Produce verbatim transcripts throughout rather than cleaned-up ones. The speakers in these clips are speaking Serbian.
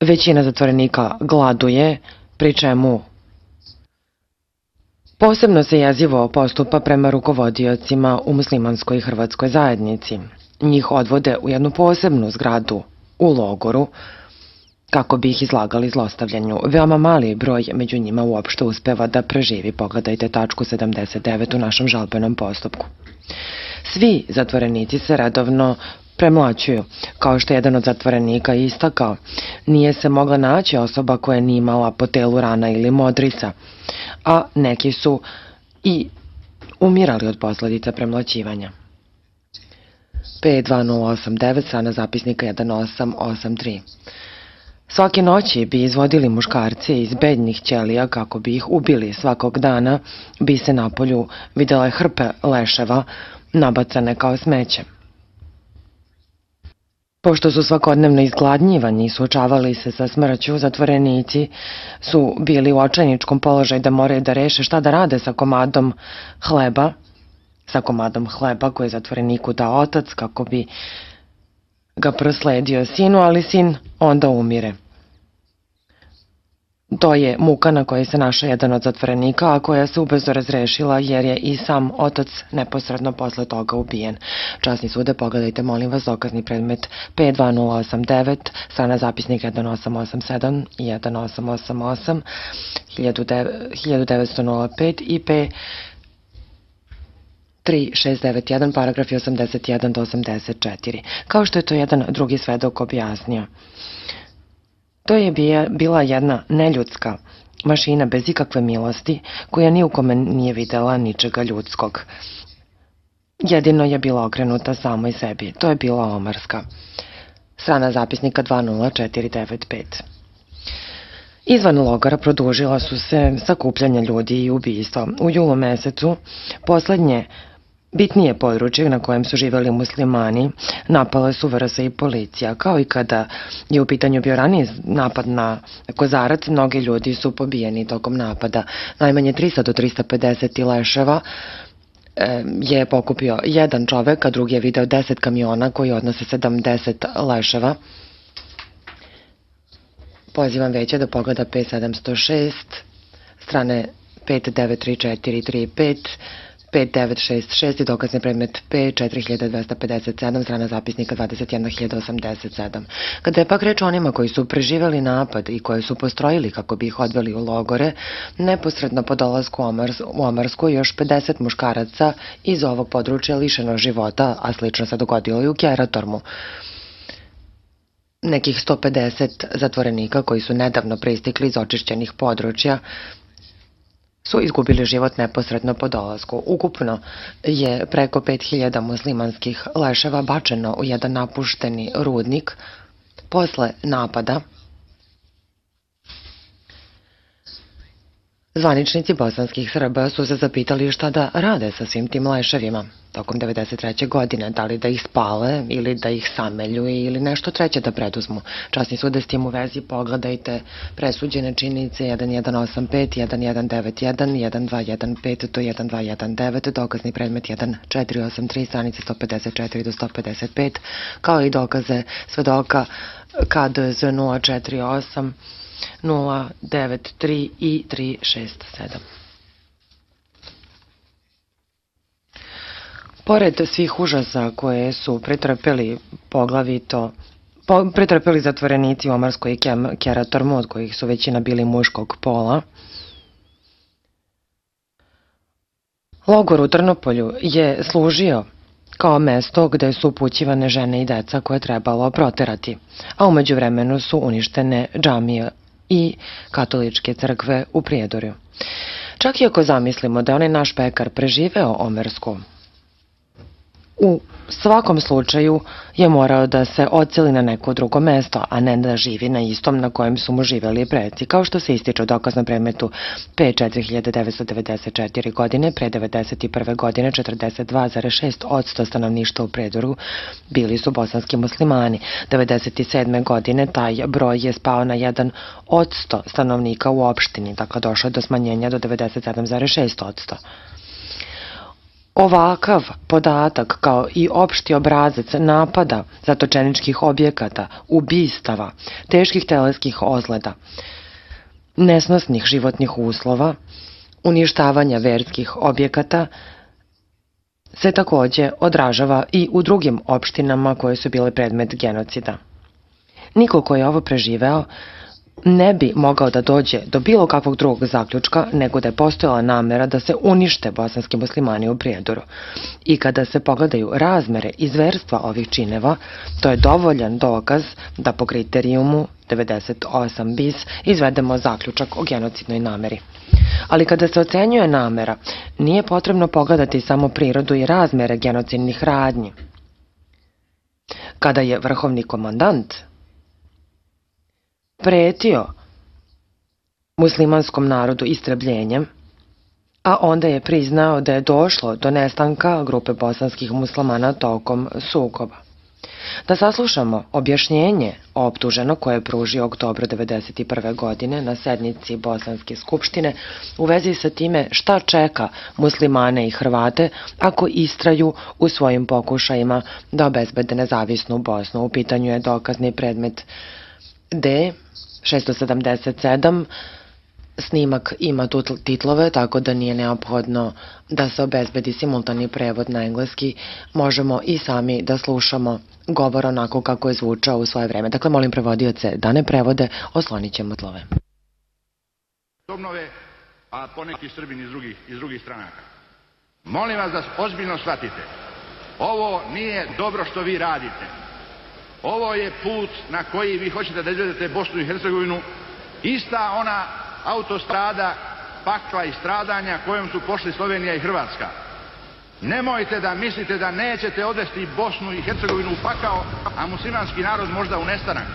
Većina zatvorenika gladuje, pri čemu posebno se jezivo postupa prema rukovodiocima u muslimanskoj i hrvatskoj zajednici. Njih odvode u jednu posebnu zgradu u logoru kako bi ih izlagali zlostavljanju. Veoma mali broj među njima uopšte uspeva da preživi. Pogledajte tačku sedamdeset devet u našem žalbenom postupku. Svi zatvorenici se redovno premlaćuju. Kao što je jedan od zatvorenika istakao, nije se mogla naći osoba koja nije imala po telu rana ili modrica, a neki su i umirali od posledica premlaćivanja. P dva nula osam devet, strana zapisnika jedan osam osam tri. Svake noći bi izvodili muškarce iz bednjih ćelija kako bi ih ubili. Svakog dana bi se na polju videle hrpe leševa nabacane kao smeće. Pošto su svakodnevno izgladnjivani i suočavali se sa smrću, zatvorenici su bili u očajničkom položaju da moraju da reše šta da rade sa komadom hleba, sa komadom hleba koji je zatvoreniku dao otac kako bi ga prosledio sinu, ali sin onda umire. To je muka na kojoj se našao jedan od zatvorenika, a koja se ubrzo razrešila jer je i sam otac neposredno posle toga ubijen. Časni sude, pogledajte molim vas dokazni predmet P dva nula osam devet, strana zapisnik jedan osam osam sedam i jedan osam osam osam, hiljadu devetsto pet i P tri šest devet jedan, paragrafi osamdeset jedan do osamdeset četiri. Kao što je to jedan drugi svedok objasnio. To je bila jedna neljudska mašina bez ikakve milosti, koja ni u kome nije videla ničega ljudskog. Jedino je bila okrenuta samoj sebi. To je bila omarska. Strana zapisnika dva nula četiri devet pet. Izvan logora produžila su se sakupljanja ljudi i ubistva. U julu mesecu poslednje bitnije područje na kojem su živeli muslimani napale su V R S i policija. Kao i kada je u pitanju bio raniji napad na Kozarac, mnogi ljudi su pobijeni tokom napada. Najmanje trista do trista pedeset leševa je pokupio jedan čovek, a drugi je video deset kamiona koji odnose sedamdeset leševa. Pozivam veće da pogleda P sedamsto šest, strane pet devet tri četiri tri pet, pet devet šest šest i dokazni predmet P četiri hiljade dvesta pedeset sedam, strana zapisnika dvadeset jedna hiljada osamdeset sedam. Kada je pak reč o onima koji su preživeli napad i koje su postrojili kako bi ih odveli u logore, neposredno po dolasku u Omarsku još pedeset muškaraca iz ovog područja lišeno života, a slično se dogodilo i u Keratormu. Nekih sto pedeset zatvorenika koji su nedavno pristikli iz očišćenih područja su izgubili život neposredno po dolasku. Ukupno je preko pet hiljada muslimanskih leševa bačeno u jedan napušteni rudnik posle napada. Zvaničnici bosanskih Srba su se zapitali šta da rade sa svim tim leševima tokom devedeset treće godine, da li da ih spale ili da ih samelju ili nešto treće da preduzmu. Časni sude s tim u vezi pogledajte presuđene činjenice jedan jedan osam pet, jedan jedan devet jedan, jedan dva jedan pet do jedan dva jedan devet, dokazni predmet jedan četiri osam tri, stranice sto pedeset četiri do sto pedeset pet, kao i dokaze svedoka K D Z nula četiri osam nula devet tri i tri šest sedam. Pored svih užasa koje su pretrpeli poglavito pretrpeli zatvorenici u Omarskoj i Keratormu, od kojih su većina bili muškog pola, logor u Trnopolju je služio kao mesto gde su upućivane žene i deca koje je trebalo proterati, a umeđu vremenu su uništene džamije i katoličke crkve u Prijedorju. Čak i ako zamislimo da je onaj naš pekar preživeo Omersku, u svakom slučaju je morao da se odseli na neko drugo mesto, a ne da živi na istom na kojem su mu živeli preci, kao što se ističe u dokaznom predmetu P četiri hiljade devetsto devedeset četiri godine. Pre devedeset prve godine četrdeset dva zarez šest posto stanovništva u Prijedoru bili su bosanski muslimani. devedeset sedme godine taj broj je spao na jedan posto stanovnika u opštini, dakle došlo je do smanjenja do devedeset sedam zarez šest posto. Ovakav podatak kao i opšti obrazac napada zatočeničkih objekata, ubistava, teških teleskih ozleda, nesnosnih životnih uslova, uništavanja verskih objekata se takođe odražava i u drugim opštinama koje su bile predmet genocida. Niko ko je ovo preživeo ne bi mogao da dođe do bilo kakvog drugog zaključka nego da je postojala namera da se unište bosanski muslimani u Prijedoru. I kada se pogledaju razmere i zverstva ovih čineva, to je dovoljan dokaz da po kriterijumu devedeset osam bis izvedemo zaključak o genocidnoj nameri. Ali kada se ocenjuje namera, nije potrebno pogledati samo prirodu i razmere genocidnih radnji. Kada je vrhovni komandant pretio muslimanskom narodu istrebljenjem, a onda je priznao da je došlo do nestanka grupe bosanskih muslimana tokom sukoba. Da saslušamo objašnjenje optuženog koje je pružio oktobra devedeset prve. godine na sednici Bosanske skupštine u vezi sa time šta čeka muslimane i Hrvate ako istraju u svojim pokušajima da obezbede nezavisnu Bosnu. U pitanju je dokazni predmet D šesto sedamdeset sedam. Snimak ima titlove, tako da nije neophodno da se obezbedi simultani prevod na engleski. Možemo i sami da slušamo govor onako kako je zvučao u svoje vreme. Dakle, molim prevodioce da ne prevode, oslonit ćemo tlove. Obnove, a poneki Srbini iz drugih, iz drugih stranaka. Molim vas da ozbiljno shvatite. Ovo nije dobro što vi radite. Ovo je put na koji vi hoćete da izvedete Bosnu i Hercegovinu, ista ona autostrada pakla i stradanja kojom su pošli Slovenija i Hrvatska. Nemojte da mislite da nećete odvesti Bosnu i Hercegovinu u pakao, a muslimanski narod možda u nestanak.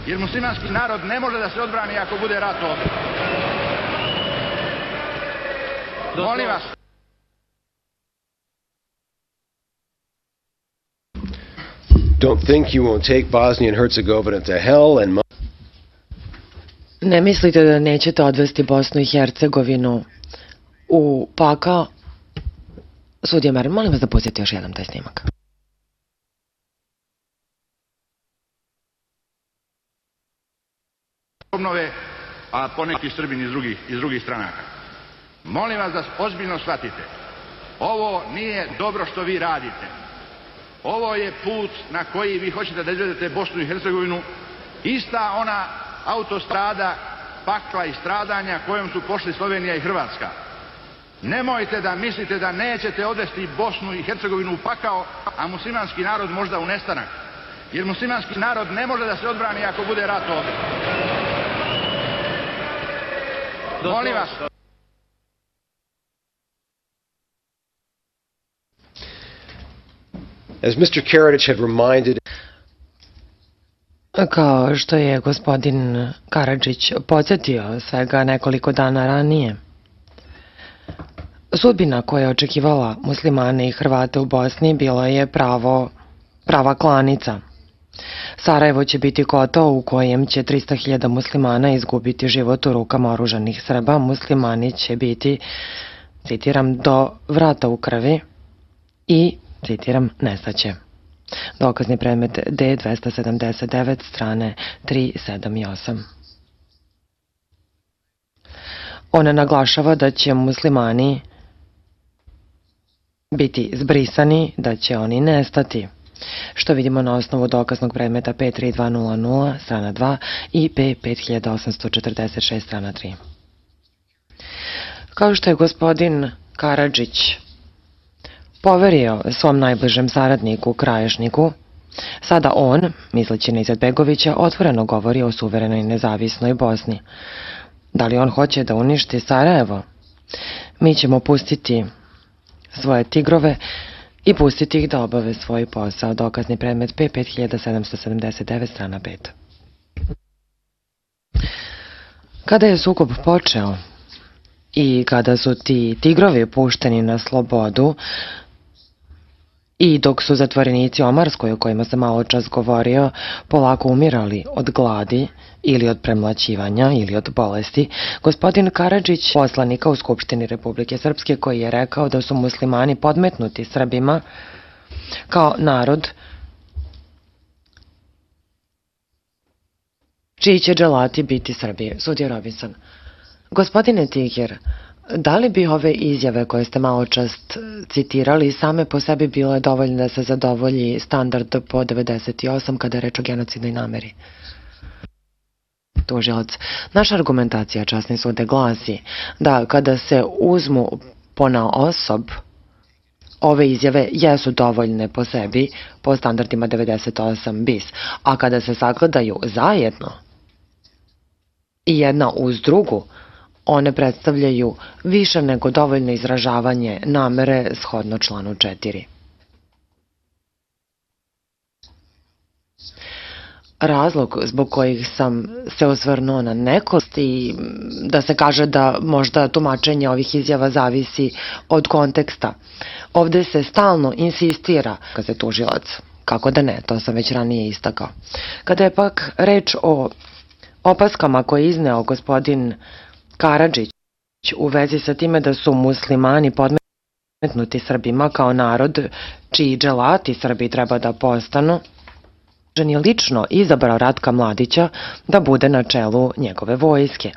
Jer muslimanski narod ne može da se odbrani ako bude rat ovdje. Molim vas. Don't think you won't take Bosnia and Herzegovina to hell and... Ne mislite da nećete odvesti Bosnu i Hercegovinu u pakao? Sudija Marin, molim vas da pustite još jedan taj snimak. Obnove, a poneki Srbini iz drugih, iz drugih stranaka. Molim vas da ozbiljno shvatite. Ovo nije dobro što vi radite. Ovo je put na koji vi hoćete da izvedete Bosnu i Hercegovinu, ista ona autostrada pakla i stradanja kojom su pošli Slovenija i Hrvatska. Nemojte da mislite da nećete odvesti Bosnu i Hercegovinu u pakao, a muslimanski narod možda u nestanak. Jer muslimanski narod ne može da se odbrani ako bude rat ovdje. Molim vas. As mister Karadzic had reminded... Kao što je gospodin Karadžić podsjetio svega nekoliko dana ranije, sudbina koja je očekivala muslimane i Hrvate u Bosni bilo je pravo, prava klanica. Sarajevo će biti kotao u kojem će trista hiljada muslimana izgubiti život u rukama oružanih Srba. Muslimani će biti, citiram, do vrata u krvi i, citiram, nestaće. Dokazni predmet D dvesta sedamdeset devet, strane tri, sedam i osam. Ona naglašava da će muslimani biti zbrisani, da će oni nestati, što vidimo na osnovu dokaznog predmeta P tri dva nula nula, strana dva i P pet hiljada osamsto četrdeset šest, strana tri. Kao što je gospodin Karadžić poverio svom najbližem saradniku, Kraješniku, sada on, misleći na Izetbegovića, otvoreno govori o suverenoj nezavisnoj Bosni. Da li on hoće da uništi Sarajevo? Mi ćemo pustiti svoje tigrove i pustiti ih da obave svoj posao. Dokazni predmet P pet hiljada sedamsto sedamdeset devet, strana pet. Kada je sukob počeo i kada su ti tigrovi pušteni na slobodu I dok su zatvorenici Omarskoj, o kojima sam malo čas govorio, polako umirali od gladi ili od premlaćivanja ili od bolesti, gospodin Karadžić, poslanika u Skupštini Republike Srpske, koji je rekao da su muslimani podmetnuti Srbima kao narod čiji će dželati biti Srbije. Sudija Robinson. Gospodine Tiger, da li bi ove izjave koje ste malo čast citirali same po sebi bile dovoljne da se zadovolji standard po devedeset osam kada je reč o genocidnoj nameri? Tužilac. Naša argumentacija, časni sude, glasi da kada se uzmu ponaosob, ove izjave jesu dovoljne po sebi po standardima devedeset osam bis, a kada se sagledaju zajedno i jedna uz drugu, one predstavljaju više nego dovoljno izražavanje namere shodno članu četiri. Razlog zbog kojih sam se osvrnuo na nekost i da se kaže da možda tumačenje ovih izjava zavisi od konteksta. Ovde se stalno insistira, kada se tužilac, kako da ne, to sam već ranije istakao. Kada je pak reč o opaskama koje je izneo gospodin Karadžić u vezi sa time da su muslimani podmetnuti Srbima kao narod čiji dželati Srbi treba da postanu, on je lično izabrao Ratka Mladića da bude na čelu njegove vojske.